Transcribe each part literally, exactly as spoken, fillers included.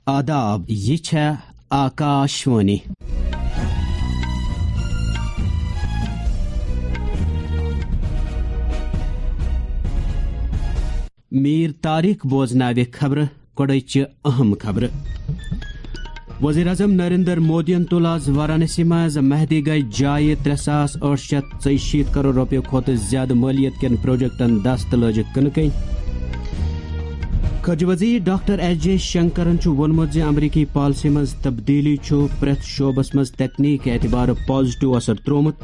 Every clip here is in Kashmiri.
آداب، یہِ چھےٚ آکاشوانی۔ میٖر طارق بوزناوِ خبرٕ۔ گۄڈٕچہِ اہم خبرٕ۔ وزیر اعظم نریندر مودیَن تُل آز وارانسی منٛز مہدی گنج جایہِ ترٛےٚ ساس ٲٹھ شیٚتھ ژۄیہِ شیٖتھ کرور رۄپیہِ کھۄتہٕ زیادٕ مٲلیت کٮ۪ن پروجیکٹن دست تہٕ لٲجِکھ کٕنہٕ کٔنۍ۔ خارجہ وزیر ڈاکٹر ایس جے شنکرن چھُ ووٚنمُت زِ امریکی پالیسی منٛز تبدیلی چھُ پرٛٮ۪تھ شعبس منٛز تکنیک اعتبارٕ پازیٹیو اثر ترٛوومُت۔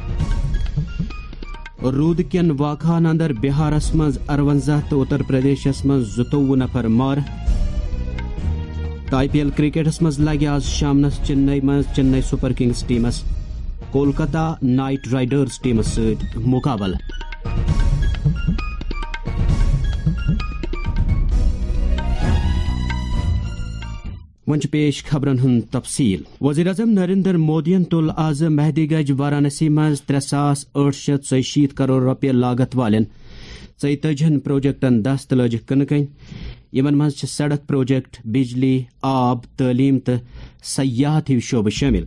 روٗدٕ کٮ۪ن واقعہن اندر بہارس منٛز ارونزاہ تہٕ اتر پردیشس منٛز زٕتووُہ نفر مارٕ۔ تہٕ آئی پی ایل کرکٹس منٛز لگہِ آز شامنس چنئی منٛز چنئی سپر کنگز ٹیمس کولکتہ نائٹ رائیڈرز ٹیمس سۭتۍ مقابلہٕ۔ وۄنۍ چھِ پیش خبرن ہُنٛد تفصیل۔ وزیر اعظم نریندر مودیَن تُل آز مہدی گنج وارانسی منٛز ترٛےٚ ساس ٲٹھ شیٚتھ ژۄیہِ شیٖتھ کرور رۄپیہِ لاگت والٮ۪ن ژۄیہِ تٲجِہن پروجیکٹن دست تہٕ لٲجِکھ کٕنہٕ کٔنۍ۔ یِمن منٛز چھِ سڑک پروجیکٹ، بجلی، آب، تعلیٖم تہٕ سیاحت ہِوۍ شعبہٕ شٲمِل۔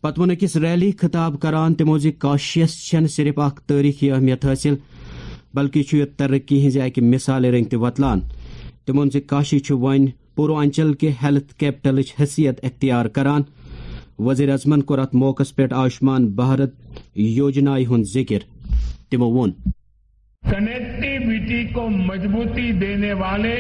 پتہٕ ووٚن أکِس ریلی خطاب کران تِمو زِ کاشیَس چھَنہٕ صرف اکھ تٲریخی اہمیت حٲصِل، بلکہِ چھُ یہِ ترقی ہٕنٛزِ اکہِ مثالہِ رٔنٛگۍ تہِ وۄتلان۔ تِمو ووٚن زِ کاشی چھُ وۄنۍ پوروانچل کہِ ہیلتھ کیپٹلٕچ حیثیت اختیار کران۔ وزیر اعظمن کوٚر اتھ موقعس پٮ۪ٹھ آیوشمان بھارت یوجنایہِ ہُنٛد ذکر۔ تِمو ووٚن۔ کنیکٹیویٹی کو مضبوطی دینے والے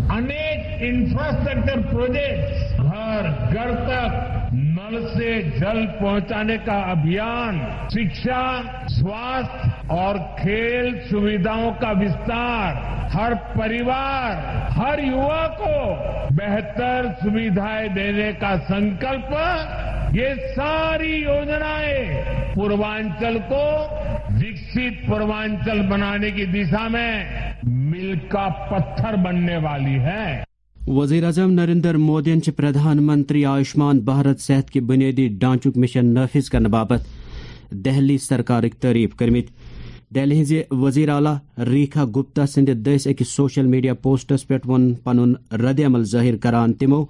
انیک انفراسٹرکچر پروجیکٹس، گھر گھر تک نل سے جل پہنچانے کا ابھیان، شکشا، سواستھ اور کھیل سویدھاؤں کا وستار، ہر پریوار، ہر یوا کو بہتر سویدھائیں دینے کا سنکلپ، یہ ساری یوجنائیں پوروانچل کو وکست پوروانچل بنانے کی دشا میں میل کا پتھر بننے والی ہے۔ وزیر اعظم نریندر مودیَن چھِ پردھان منتری آیوشمان بھارت صحت کہِ بنیٲدی ڈھانچُک مشن نافذ کرنہٕ باپتھ دہلی سرکارٕکۍ تعریف کٔرمٕتۍ۔ دہلی ہٕنٛزِ وزیر اعلیٰ ریکھا گپتا سٕنٛدِ دٔسۍ أکِس سوشل میڈیا پوسٹس پٮ۪ٹھ ووٚن پنُن رد عمل ظٲہِر کران تِمو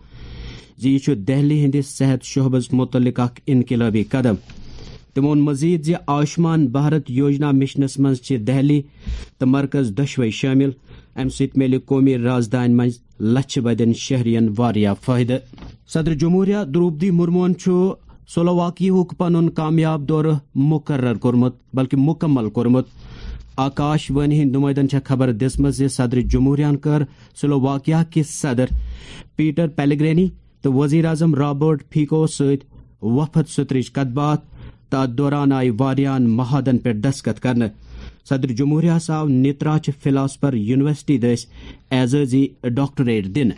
زِ یہِ چھُ دہلی ہٕنٛدِ صحت شعبس مُتعلق اکھ انقلٲبی قدم۔ تِمو ووٚن مزید زِ آیوشمان بھارت یوجنا مشنس منٛز چھِ دہلی تہٕ مرکز دۄشوے شٲمِل۔ امہِ سۭتۍ میلہِ قومی رازدانہِ منٛز لچھِ بٔدٮ۪ن شہرین واریاہ فٲیدٕ۔ صدر جمہوریہ دروپدی مرموہن چھُ سلوواکیاہُک پنُن کامیاب دورٕ مقرر کوٚرمُت، بلکہِ مکمل کوٚرمُت۔ آکاش وانی ہٕنٛدۍ نمائندن چھےٚ خبر دِژمٕژ زِ صدر جمہوریہن کٔر سلوواکیا کِس صدر پیٹر پیلیگرینی تہٕ وزیر اعظم رابرٹ فیکوس سۭتۍ وفد سترٕچ کتھ باتھ تہٕ اتھ دوران آیہِ واریاہن معاہدن پٮ۪ٹھ دستخط کرنہٕ۔ صدر جمہوریہس آو نیتراچ فلاسفر یونیورسٹی دٔسۍ اعزازی ڈاکٹریٹ دِنہٕ۔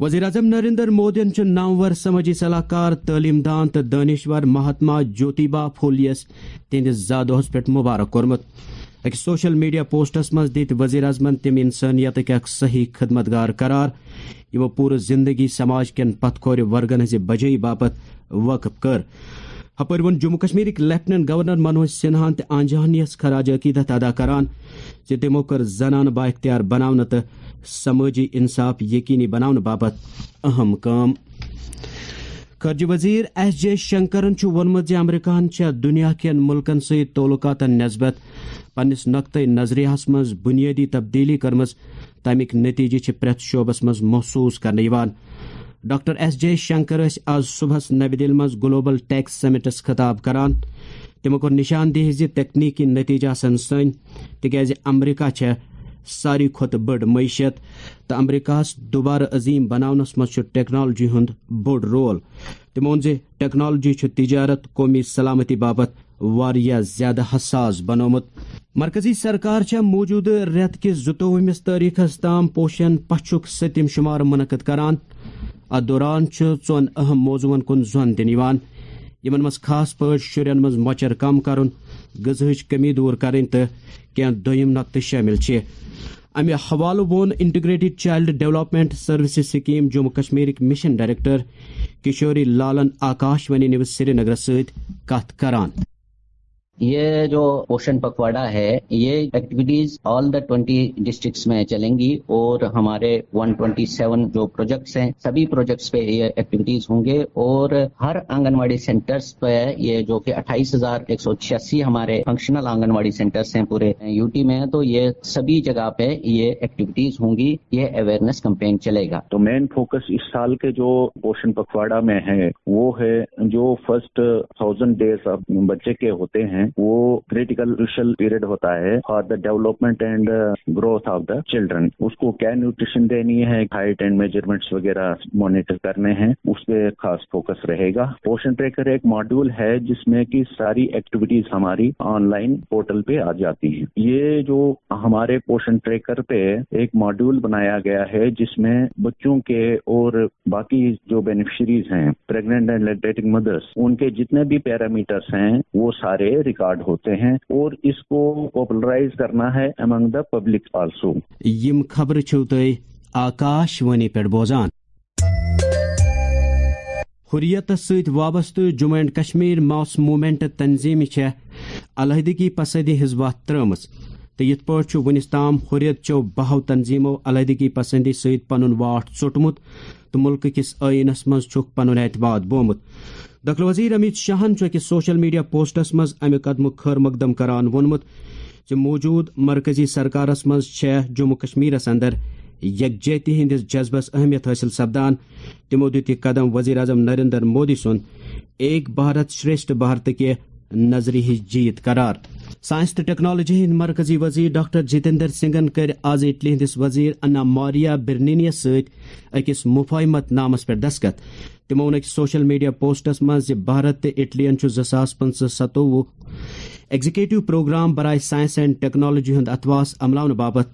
وزیر اعظم نریندر مودیَن چھُ نامور سمٲجی صلاح کار، تعلیٖم دان تہٕ دٲنِشور مہاتما جوتیبا پھولیَس تِہنٛدِس زا دۄہس پٮ۪ٹھ مبارک کوٚرمُت۔ أکِس سوشل میڈیا پوسٹس منٛز دِتۍ وزیر اعظمن تِم انسٲنیتٕکۍ اکھ صحیح خدمتگار قرار، یِمو پوٗرٕ زندگی سماج کٮ۪ن پتھ کھورِ ورگن ہٕنٛزِ بجٲیی باپتھ وقف کٔر۔ ہپٲرۍ ووٚن جموں کشمیرٕکۍ لیفٹیننٹ گورنر منوج سنہاہن تہِ آنجہانی یَس خراج عقیدت ادا کران زِ تِمو کٔر زنانہٕ بااختیار بناونہٕ تہٕ سمٲجی انصاف یقینی بناونہٕ باپتھ اہم کٲم۔ خارجہ وزیر ایس جے شنکرن چھُ ووٚنمُت زِ امریکہن چھےٚ دنیا کٮ۪ن ملکن سۭتۍ تعلقاتن نسبت پننِس نقطہ نظریہس منٛز بنیٲدی تبدیلی کٔرمٕژ، تَمِکۍ نتیجہٕ چھِ پرٛٮ۪تھ شعبس منٛز محسوس کرنہٕ یِوان۔ ڈاکٹر ایس جے شنکر ٲسۍ آز صبحس نوِ دِلہِ منٛز گلوبل ٹیک سمٹس خطاب کران۔ تِمو کوٚر نشاندہی زِ تکنیکی نتیجہٕ آسن سٲنۍ، تِکیازِ امریکہ چھےٚ ساروی کھۄتہٕ بٔڑ معیشت تہٕ امریکہس دوبارٕ عظیم بناونس منٛز چھُ ٹیکنالوجی ہُنٛد بوٚڑ رول۔ تِمو ووٚن زِ ٹیکنالوجی چھُ تجارت، قومی سلامتی باپتھ واریاہ زیادٕ حساس بنومُت۔ مرکزی سرکار چھےٚ موٗجوٗدٕ رٮ۪تہٕ کِس زٕتووُہمِس تٲریخس تام پوشن پچھُک سٔتِم شُمار منعقد کران۔ اتھ دوران چھُ ژۄن اہم موضوعن کُن زۄن دِنہٕ یِوان، یِمن منٛز خاص پٲٹھۍ شُرٮ۪ن منٛز مۄچر کم کرُن، غذاہٕچ کمی دور کرٕنۍ تہٕ کینٛہہ دوٚیِم نۄقطہٕ شٲمِل چھِ۔ امہِ حوالہٕ ووٚن integrated child development services scheme Jammu کشمیرٕکۍ مشن ڈائریکٹر کشوری لالن آکاش وانی نیوز سرینگرس سۭتۍ کتھ کران۔ ये जो पोषण पखवाड़ा है, ये activities all the twenty districts में चलेंगी और हमारे वन ट्वेंटी सेवन जो प्रोजेक्ट्स हैं, सभी प्रोजेक्ट्स पे ये एक्टिविटीज होंगे और हर आंगनवाड़ी सेंटर्स पे, ये जो कि अट्ठाईस हजार एक सौ छियासी हमारे फंक्शनल आंगनवाड़ी सेंटर्स हैं पूरे यूटी में, तो ये सभी जगह पे ये एक्टिविटीज होंगी, ये अवेयरनेस कैंपेन चलेगा। तो मेन फोकस इस साल के जो पोषण पखवाड़ा में है, वो है जो फर्स्ट थाउजेंड डेज बच्चे के होते हैं, वो क्रिटिकल क्रूशियल पीरियड होता है for the development and growth of the children. उसको क्या न्यूट्रिशन देनी है, हाइट एंड मेजरमेंट्स वगैरह मॉनिटर करने हैं, उस पे खास फोकस रहेगा। पोषण ट्रैकर एक मॉड्यूल है जिसमें कि सारी एक्टिविटीज हमारी ऑनलाइन पोर्टल पे आ जाती हैं। ये जो हमारे पोषण ट्रैकर पे एक मॉड्यूल बनाया गया है जिसमें बच्चों के और बाकी जो बेनिफिशरीज हैं, प्रेग्नेंट एंड लैक्टेटिंग मदर्स, उनके जितने भी पैरामीटर्स हैं, वो सारे रिकॉर्ड होते हैं और इसको पॉपुलराइज करना है अमंग द पब्लिक आल्सो। یِم خبرٕ چھِو تُہۍ آکاشوانی پٮ۪ٹھ بوزان۔ حریتس سۭتۍ وابستہٕ Jammu and Kashmir mass movement تنظیمہِ چھےٚ علیحدگی پسندی ہٕنٛز وتھ ترٲومٕژ تہٕ یِتھ پٲٹھۍ چھُ وُنِس تام حریت چیو بہو تنظیمو علیحدگی پسندی سۭتۍ پنُن واٹھ ژوٚٹمُت تہٕ مُلکہٕ کِس ٲیٖنس منٛز چھُکھ پنُن اعتماد بومُت۔ دٲخلہٕ وزیر امیت شاہن چھُ أکِس سوشل میڈیا پوسٹس منٛز امہِ قدمُک خٲر مقدم کران ووٚنمُت زِ موجود مرکزی سرکارس منٛز چھےٚ جموں کشمیرس اندر یکجہتی ہٕنٛدِس جذبس اہمیت حٲصِل سپدان۔ تِمو دیُت یہِ قدم وزیر اعظم نریندر مودی سُنٛد ایک بھارت شریشٹھ بھارت کہِ نظریہٕچ جیت قرار۔ سائنس تہٕ ٹیکنالوجی ہٕنٛدۍ مرکزی وزیر ڈاکٹر جتیندر سنگھن کٔرۍ آز اٹلی ہٕنٛدِس وزیر انا ماریا برنینیس سۭتۍ أکِس مفاہمت نامس پٮ۪ٹھ دستخط۔ تِمو ووٚن أکِس سوشل میڈیا پوسٹس منٛز زِ بھارت تہٕ اٹلین چھُ زٕ ساس پٕنٛژٕہ ستووُہ ایگزیکٹو پروگرام برائے سائنس اینڈ ٹیکنالوجی ہُنٛد اتواس عملاونہٕ باپتھ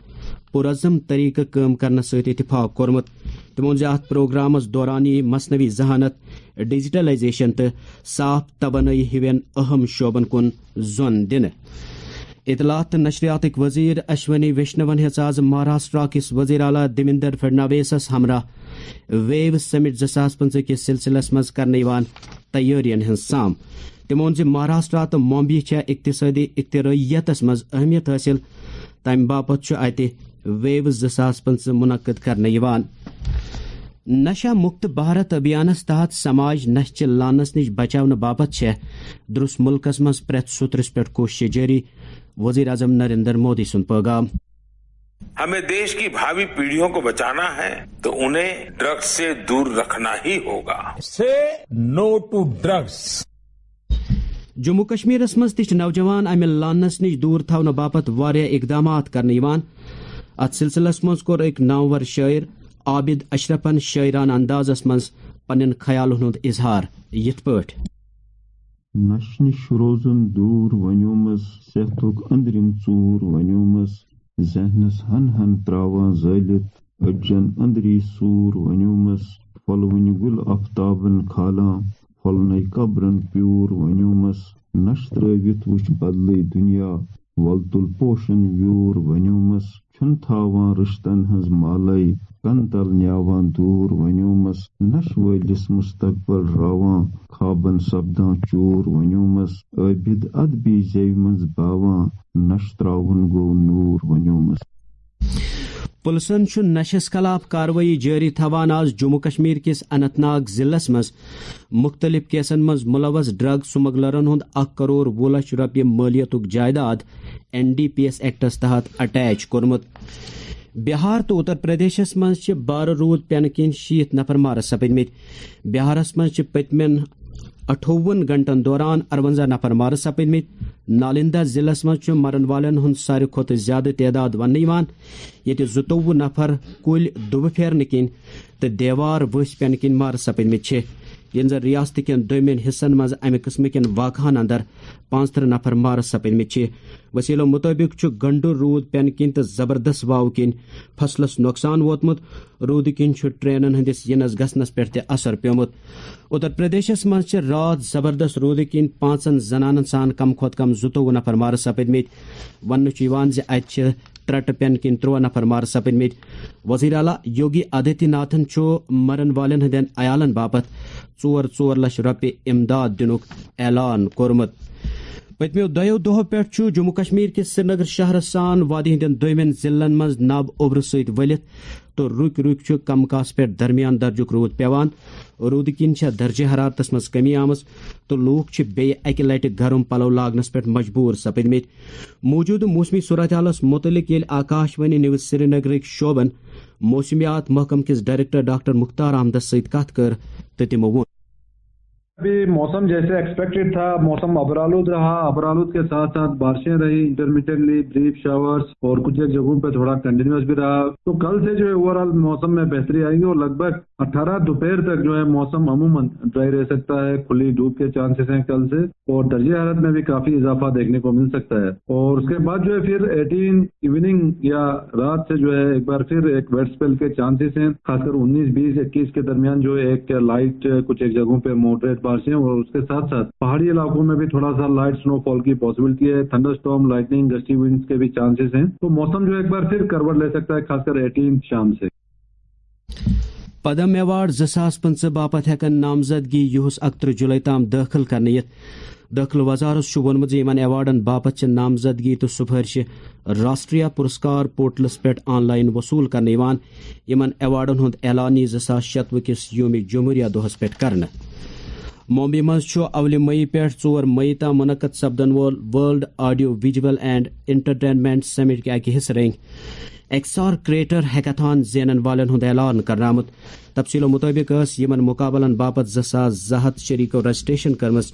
پُرعزم طریقہٕ کٲم کرنس سۭتۍ اتفاق کوٚرمُت۔ تِمو ووٚن زِ اتھ پروگرامس دوران یِیہِ مصنوعی ذہانت، ڈیجیٹلائزیشن تہٕ صاف توانٲیی ہِوٮ۪ن اہم شعبن کُن زۄن دِنہٕ۔ اطلاعات تہٕ نشریاتٕکۍ وزیر اشونی ویشنون ہیٚژ آز مہاراشٹرا کِس وزیر اعلیٰ دیویندر فڈنویسس ہمراہ ویو سمٹ زٕ ساس پٕنٛژٕہ کِس سلسلس منٛز کرنہٕ یِوان تیٲرین ہٕنٛز سام۔ تِمو ووٚن زِ مہاراشٹرا تہٕ ممبیہِ چھےٚ اقتصٲدی اختراعیتس منٛز اہمیت حٲصِل، تمہِ باپتھ چھُ اتہِ ویو زٕ ساس پٕنٛژٕہ منعقد کرنہٕ یِوان۔ نشہ مکت بھارت ابھیانس تحت سماج نشہ چہِ لعنس نِش بچاونہٕ باپتھ چھےٚ درُس مُلکس منٛز پرٛٮ۪تھ سوٚترس پٮ۪ٹھ کوٗششہٕ جٲری، وزیر اعظم نریندر مودی سُنٛد پیغام۔ हमें देश की भावी पीढ़ियों को बचाना है तो उन्हें ड्रग्स से दूर रखना ही होगा। Say no to drugs. Jammu کشمیرس منٛز تہِ چھِ نوجوان امہِ لعنس نِش دوٗر تھاونہٕ باپتھ واریاہ اقدامات کرنہٕ یِوان۔ اتھ سلسلس منٛز کوٚر أکۍ نامور شٲعر عابد اشرفن شٲعرانہٕ اندازس منٛز پننٮ۪ن خیالن ہُنٛد اظہار یِتھ پٲٹھۍ۔ نشہٕ نِش روزُن دوٗر ونیومس، صحتُک أنٛدرِم ژوٗر ونیومس، ذہنس ہن ہن تراوان زٲلِتھ، أڈجن أنٛدری سوٗر ونیومس، پھۄلوٕنۍ گُل آفتابن کھالان، پھۄلنَے قبرن پیوٗر ونیومس۔ نشہٕ ترٲوِتھ وٕچھ بدلٕے دُنیا، وۄل تُل پوشن ویوٗر ونیومس۔ چھُنہٕ تھاوان رِشتن ہٕنٛز مالے، کن تل نیاوان دوٗر ونیومس۔ نشہٕ وٲلِس مستقبل راوان، خوابن سپدان چوٗر ونیومس۔ عٲبِد ادبی زیوِ منٛز باوان، نشہٕ تراوُن گوٚو نوٗر ونیومس۔ پُلسن چھُ نشس خلاف کاروٲیی جٲری تھاوان۔ آز جموں کشمیر کِس اننت ناگ ضلعس منٛز مُختٔلِف کیسن منٛز مُلوث ڈرگ سمگلرن ہُنٛد اکھ کرور وُہ لچھ رۄپیہِ مٲلیتُک جائیداد N D P S acts تحت اٹیچ کوٚرمُت۔ بہار تہٕ اُتر پردیشس منٛز چھِ بارٕ روٗد پینہٕ کِنۍ شیٖتھ نفر مارٕ سپٕدمٕتۍ۔ بہارس منٛز چھِ پٔتمٮ۪ن اَٹھووُہن گھنٹن دوران اَرونٛزاہ نفر مارٕ سپٕدمٕتۍ۔ نالندہ ضلعس منٛز چھُ مرن والٮ۪ن ہُنٛد ساروی کھۄتہٕ زیادٕ تعداد وننہٕ یِوان، ییٚتہِ زٕتووُہ نفر کُلۍ دُبہٕ پھیرنہٕ کِنۍ تہٕ دیوار ؤسۍ پینہٕ کِنۍ مارٕ سپٕدمٕتۍ چھِ، ییٚلہِ زن ریاست کٮ۪ن دوٚیمٮ۪ن حصن منٛز امہِ قٕسمہٕ کٮ۪ن واقعہن اندر پانٛژترٕہ نفر مارٕ سپٕدمٕتۍ چھِ۔ وسیلو مُطٲبِق چھُ گنڈٕ روٗد پینہٕ کِنۍ تہٕ زبردست واوٕ کِنۍ فصلس نۄقصان ووتمُت۔ روٗدٕ کِنۍ چھُ ٹرینن ہٕنٛدِس یِنس گژھنس پٮ۪ٹھ تہِ اثر پیومُت۔ اُتر پردیشس منٛز چھِ راتھ زبردست روٗدٕ کِنۍ پانٛژن زنانن سان کم کھۄتہٕ کم زٕتووُہ نفر مارٕ سپٕدمٕتۍ۔ وننہٕ چھُ یِوان زِ اتہِ چھِ ترٛٹہٕ پینہٕ کِنۍ ترٛوہ نفر مارٕ سپٕدمٕتۍ۔ وزیر اعلیٰ یوگی آدتیہ ناتھن چھُ مرن والٮ۪ن ہٕنٛدٮ۪ن عیالن باپتھ ژور ژور لچھ رۄپیہِ امداد دِنُک اعلان کوٚرمُت۔ پٔتمیو دۄیو دۄہو پٮ۪ٹھ چھُ جموں کشمیر کِس سرینگر شہرس سان وادی ہٕنٛدٮ۪ن دویمٮ۪ن ضلعن منٛز نب اوٚبرٕ سۭتۍ ؤلِتھ تہٕ رُکۍ رُکۍ چھُ کم کاسہٕ پٮ۪ٹھ درمیان درجُک روٗد پٮ۪وان۔ روٗدٕ کِنۍ چھےٚ درجہ حرارتس منٛز کمی آمٕژ تہٕ لوٗکھ چھِ بیٚیہِ اکہِ لٹہِ گرم پلو لاگنس پٮ۪ٹھ مجبوٗر سپٕدمٕتۍ۔ موٗجوٗدٕ موسمی صورتحالس مُتعلق ییٚلہِ آکاشوانی نیوز سرینگرٕکۍ شعبن موسمیات محکمہٕ کِس ڈائریکٹر ڈاکٹر مختار احمدس سۭتۍ کتھ کٔر تہٕ تِمو ووٚن۔ ابھی موسم جیسے ایکسپیکٹڈ تھا، موسم ابرآلود رہا، ابرآلود کے ساتھ ساتھ بارشیں رہی، انٹرمیٹنٹلی بریف شاورز اور کچھ ایک جگہوں پہ تھوڑا کنٹینیوس بھی رہا۔ تو کل سے جو ہے اوور آل موسم میں بہتری آئے گی اور لگ بھگ اٹھارہ دوپہر تک جو ہے موسم عموماً ڈرائی رہ سکتا ہے، کھلی دھوپ کے چانسز ہیں کل سے، اور درجہ حرارت میں بھی کافی اضافہ دیکھنے کو مل سکتا ہے۔ اور اس کے بعد جو ہے پھر ایٹین ایوننگ یا رات سے جو ہے ایک بار پھر ایک ویٹ اسپیل کے چانسز ہیں، خاص کر انیس بیس اکیس کے درمیان جو ہے ایک لائٹ، کچھ ایک جگہوں پہ ماڈریٹ بارشیں اور اس کے ساتھ ساتھ پہاڑی علاقوں میں بھی تھوڑا سا لائٹ سنو فال کی پاسبلٹی ہے، تھنڈر اسٹارم، لائٹننگ، گسٹی ونڈز کے بھی چانسز ہیں۔ تو موسم جو ہے ایک بار پھر کروٹ لے سکتا ہے، خاص کر ایٹین شام سے۔ پدم ایوارڈ زٕ ساس پٕنٛژٕہ باپتھ ہٮ۪کن نامزدگی یُہُس اکترٕہ جُلے تام دٲخل کرنہٕ یِتھ۔ دٲخلہٕ وزارت چھُ ووٚنمُت زِ یِمن ایوارڈن باپتھ چھِ نامزدگی تہٕ سفٲرشہِ راشٹریہ پرسکار پورٹلس پٮ۪ٹھ آن لائن وصوٗل کرنہٕ یِوان۔ یِمن ایوارڈن ہُنٛد اعلان یِیہِ زٕ ساس شتوُہ کِس یوم جمہوریہ دۄہس پٮ۪ٹھ کرنہٕ۔ ممبئی منٛز چھُ اولہِ مئی پٮ۪ٹھ ژور مئی تام منعقد سپدن وول world audio visual and entertainment summit کہِ اکہِ حصہٕ رنگۍ ایکس آر کریٹر ہیکاتھان زینن والٮ۪ن ہُنٛد اعلان کرنہٕ آمُت۔ تفصیلو مُطٲبِق ٲس یِمن مُقابلن باپتھ زٕ ساس زٕ ہتھ شریکو رجسٹریشن کٔرمٕژ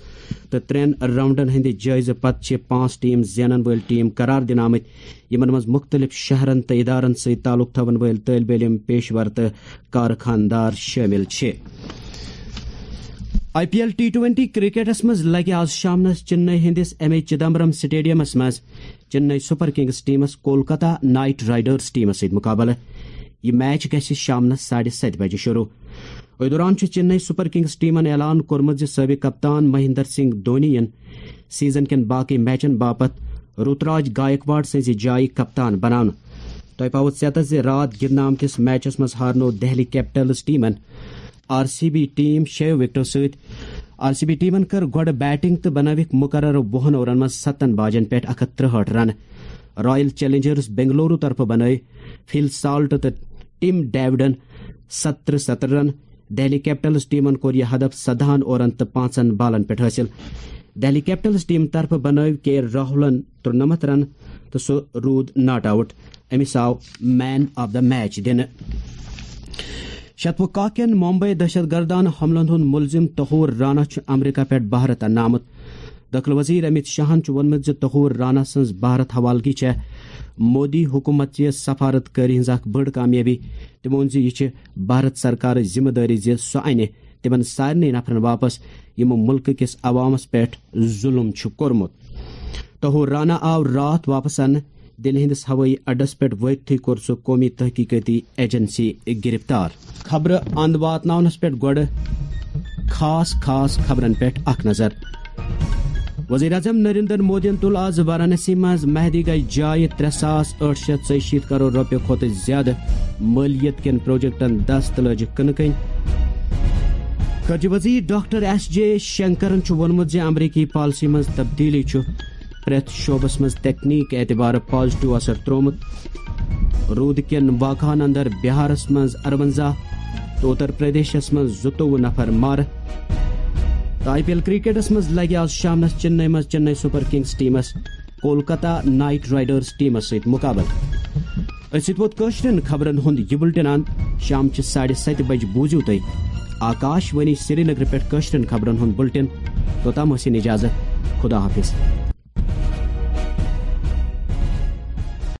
تہٕ ترٛٮ۪ن راؤنڈن ہٕنٛدِ جٲیزٕ پتہٕ چھِ پانٛژھ ٹیم زینن وٲلۍ ٹیم قرار دِنہٕ آمٕتۍ، یِمن منٛز مُختٔلِف شہرن تہٕ ادارن سۭتۍ تعلق تھاون وٲلۍ طٲلب علم، پیشور تہٕ کارخاندار شٲمِل چھِ۔ I P L T twenty کرکٹس منٛز لگہِ آز شامنس چنئی ہٕنٛدِس ایم اے چدمبرم سٹیڈیمس منٛز چنئی سپر کنگز ٹیمس کولکتہ نائٹ رائیڈرز ٹیمس سۭتۍ مُقابلہٕ۔ یہِ میچ گژھِ شامنس ساڑِ ستہِ بجہِ شروع۔ أتھۍ دوران چھُ چنئی سپر کنگز ٹیمن اعلان کوٚرمُت زِ سٲبق کپتان مہندر سنگھ دھونی یِن سیزن کٮ۪ن باقی میچن باپتھ رُتراج گایکواڑ سٕنٛزِ جایہِ کپتان بناونہٕ۔ تۄہہِ پاوُت ژیتس زِ راتھ گِنٛدنہٕ آمتِس میچس منٛز ہارنوو دہلی کیپٹلز ٹیمن آر سی بی ٹیم شیٚیو وکٹو سۭتۍ۔ آر سی بی ٹیمن کٔر گۄڈٕ بیٹنگ تہٕ بنٲوِکھ مُقررٕ وُہن اوورن منٛز ستن باجن پٮ۪ٹھ اکھ ہتھ ترٛہٲٹھ رنہٕ۔ رائل چیلنجرز بنگلورو طرفہٕ بنٲوۍ فل سالٹ تہٕ ٹم ڈیوڈن ستترٕہ ستترٕہ رنہٕ۔ دہلی کیپٹلز ٹیمن کوٚر یہِ ہدف سدہن اورن تہٕ پانٛژن بالن پٮ۪ٹھ حٲصِل۔ دہلی کیپٹلز ٹیم طرفہٕ بنٲوۍ کے راہولن ترُنمتھ رنہٕ تہٕ سُہ روٗد ناٹ آوُٹ۔ أمِس آو مین آف دا میچ دِنہٕ۔ شتوُہ کاکٮ۪ن ممبئی دہشت گردانہٕ حملن ہُنٛد مُلزِم طہور رانا چھُ امریکہ پٮ۪ٹھ بھارت اننہٕ آمُت۔ دٲخلہٕ وزیر امیت شاہن چھُ ووٚنمُت زِ طہور رانا سٕنٛز بھارت حوالگی چھےٚ مودی حکومت چہِ سفارت کٲری ہٕنٛز اکھ بٔڑ کامیٲبی۔ تٔمۍ ووٚن زِ یہِ چھِ بھارت سرکارٕچ ذمہٕ دٲری زِ سُہ انہِ تِمن سارنٕے نفرن واپس، یِمو مُلکہٕ کِس عوامس پٮ۪ٹھ ظُلُم چھُ کوٚرمُت۔ طہور رانا آو راتھ واپس اننہٕ۔ دِلہِ ہٕنٛدِس ہوٲیی اڈس پٮ۪ٹھ وٲتتھٕے کوٚر سُہ قومی تحقیقٲتی ایجنسی گرفتار۔ خبرٕ اند واتناونس پٮ۪ٹھ گۄڈٕ خاص خاص خبرن پٮ۪ٹھ اکھ نظر۔ وزیر اعظم نریندر مودیَن تُل آز وارانسی منٛز مہدی گنج جایہِ ترٛےٚ ساس ٲٹھ شیٚتھ ژۄیہِ شیٖتھ کرور رۄپیہِ کھۄتہٕ زیادٕ مٲلیت کٮ۪ن پروجیکٹن دست تہٕ لٲجِکھ کٕنہٕ کٔنۍ۔ خارجہ وزیر ڈاکٹر ایس جے شنکرن چھُ ووٚنمُت زِ امریکی پالیسی منٛز تبدیلی چھُ پرٛٮ۪تھ شعبس منٛز تکنیک اعتبارٕ پازیٹیو اثر ترٛوومُت۔ روٗدٕ کٮ۪ن واقعن اندر بہارس منٛز ارونزاہ تہٕ اتر پردیشس منٛز زٕتووُہ نفر مارٕ۔ تہٕ آئی پی ایل کرکٹس منٛز لگہِ آز شامنس چنئی منٛز چنئی سپر کنگز ٹیمس کولکتہ نائٹ رائیڈرز ٹیمس سۭتۍ مُقابلہٕ۔ أتھۍ سۭتۍ ووت کٲشرٮ۪ن خبرن ہُنٛد یہِ بُلٹن اند۔ شام چہِ ساڑِ ستہِ بجہِ بوٗزِو تُہۍ آکاش وانی سرینگرٕ پٮ۪ٹھ کٲشرٮ۪ن خبرن ہُنٛد بُلٹن۔ توٚتام ٲسِن اجازت۔ خدا حافظ۔